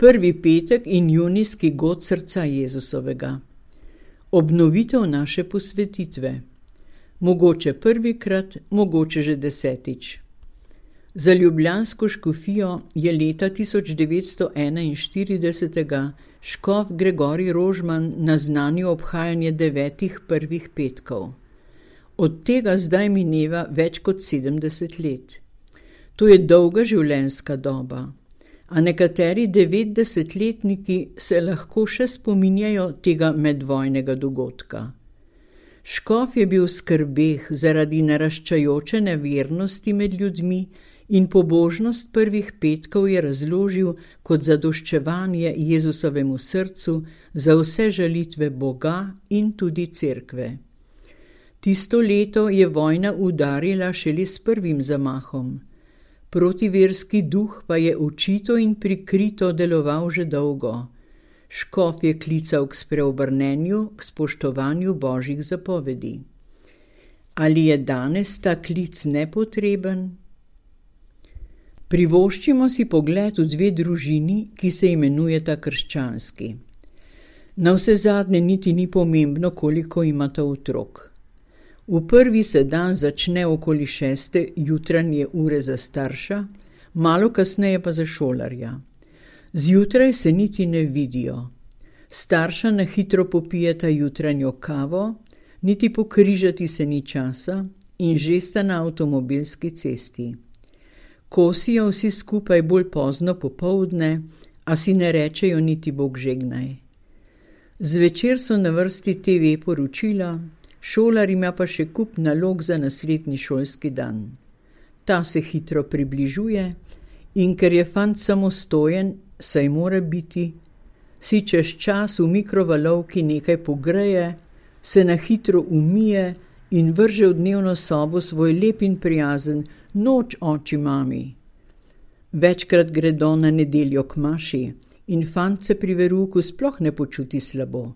Prvi petek in junijski god srca Jezusovega. Obnovitev naše posvetitve. Mogoče prvikrat, mogoče že 10. Za ljubljansko škofijo je leta 1941 škof Gregorij Rožman naznanil obhajanje 9 prvih petkov. Od tega zdaj mineva več kot 70 let. To je dolga življenjska doba, a nekateri 90-letniki se lahko še spominjajo tega medvojnega dogodka. Škof je bil v skrbeh zaradi naraščajoče nevernosti med ljudmi in pobožnost prvih petkov je razložil kot zadoščevanje Jezusovemu srcu za vse žalitve Boga in tudi cerkve. Tisto leto je vojna udarila šele s prvim zamahom. Protiverski duh pa je očito in prikrito deloval že dolgo. Škof je klical k spreobrnenju, k spoštovanju Božjih zapovedi. Ali je danes ta klic nepotreben? Privoščimo si pogled v 2 družini, ki se imenujeta krščanski. Navsezadnje niti ni pomembno, koliko imata otrok. V prvi se dan začne okoli 6. jutranje ure za starša, malo kasneje pa za šolarja. Zjutraj se niti ne vidijo. Starša na hitro popijeta jutranjo kavo, niti pokrižati se ni časa in že sta na avtomobilski cesti. Kosijo vsi skupaj bolj pozno popoldne, a si ne rečejo niti Bog žegnaj. Zvečer so na vrsti TV poročila, šolar ima pa še kup nalog za naslednji šolski dan. Ta se hitro približuje in ker je fant samostojen, saj mora biti, si čez čas v mikrovalovki nekaj pogreje, se na hitro umije in vrže v dnevno sobo svoj lep in prijazen noč oči mami. Večkrat gredo na nedeljo k maši in fant se pri veruku sploh ne počuti slabo.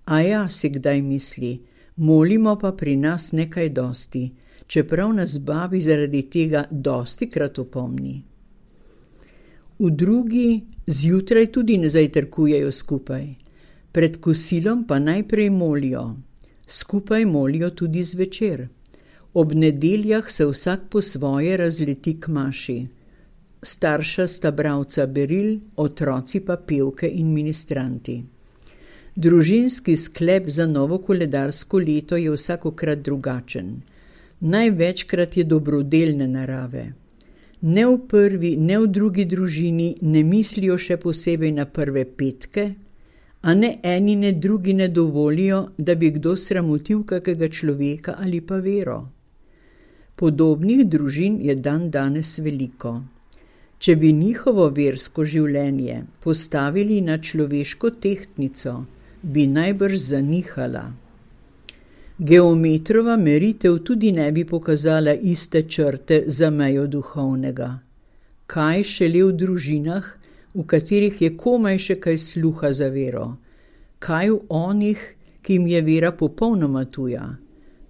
A ja, si kdaj misli, molimo pa pri nas nekaj dosti, čeprav nas babi zaradi tega dostikrat opomni. V drugi zjutraj tudi ne zajtrkujejo skupaj, pred kosilom pa najprej molijo. Skupaj molijo tudi zvečer. Ob nedeljah se vsak po svoje razleti k maši. Starša sta bralca beril, otroci pa pevke in ministranti. Družinski sklep za novo koledarsko leto je vsakokrat drugačen. Največkrat je dobrodelne narave. Ne v prvi, ne v drugi družini ne mislijo še posebej na prve petke, a ne eni ne drugi ne dovolijo, da bi kdo sramotil kakega človeka ali pa vero. Podobnih družin je dan danes veliko. Če bi njihovo versko življenje postavili na človeško tehtnico, bi najbrž zanihala. Geometrova meritev tudi ne bi pokazala iste črte za mejo duhovnega. Kaj šele v družinah, v katerih je komaj še kaj sluha za vero? Kaj v onih, ki jim je vera popolnoma tuja?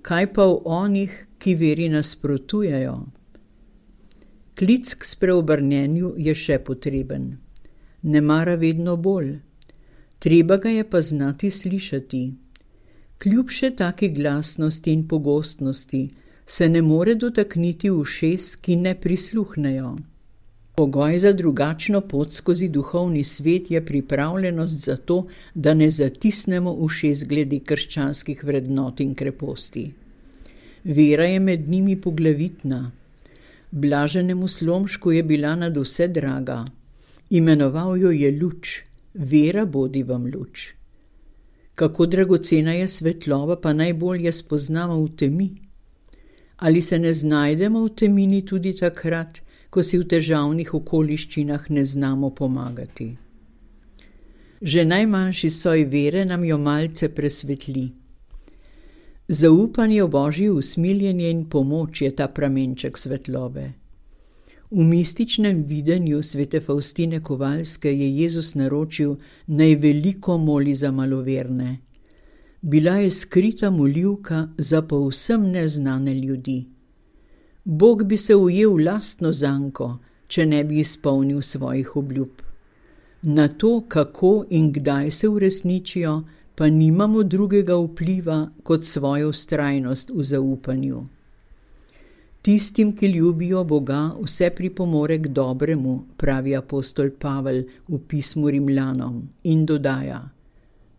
Kaj pa v onih, ki veri nasprotujejo? Klic k spreobrnenju je še potreben. Ne mara vedno bolj. Treba ga je pa znati slišati. Kljub še taki glasnosti in pogostnosti se ne more dotakniti ušes, ki ne prisluhnejo. Pogoj za drugačno pot skozi duhovni svet je pripravljenost za to, da ne zatisnemo ušes glede krščanskih vrednot in kreposti. Vera je med njimi poglavitna. Blaženemu Slomšku je bila nad vse draga. Imenoval jo je luč. Vera bodi vam luč. Kako dragocena je svetloba, pa najbolje spoznamo v temi. Ali se ne znajdemo v temini tudi takrat, ko si v težavnih okoliščinah ne znamo pomagati? Že najmanjši soj vere nam jo malce presvetli. Zaupanje v Božje usmiljenje in pomoč je ta pramenček svetlobe. V mističnem videnju svete Faustine Kovalske je Jezus naročil, naj veliko moli za maloverne. Bila je skrita molivka za povsem neznane ljudi. Bog bi se ujel lastno zanko, če ne bi izpolnil svojih obljub. Na to, kako in kdaj se uresničijo, pa nimamo drugega vpliva kot svojo vztrajnost v zaupanju. Tistim, ki ljubijo Boga, vse pripomore k dobremu, pravi apostol Pavel v pismu Rimljanom in dodaja: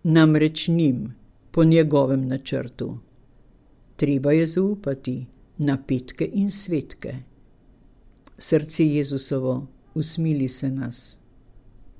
namreč njim, po njegovem načrtu. Treba je zaupati na petke in svetke. Srce Jezusovo, usmili se nas.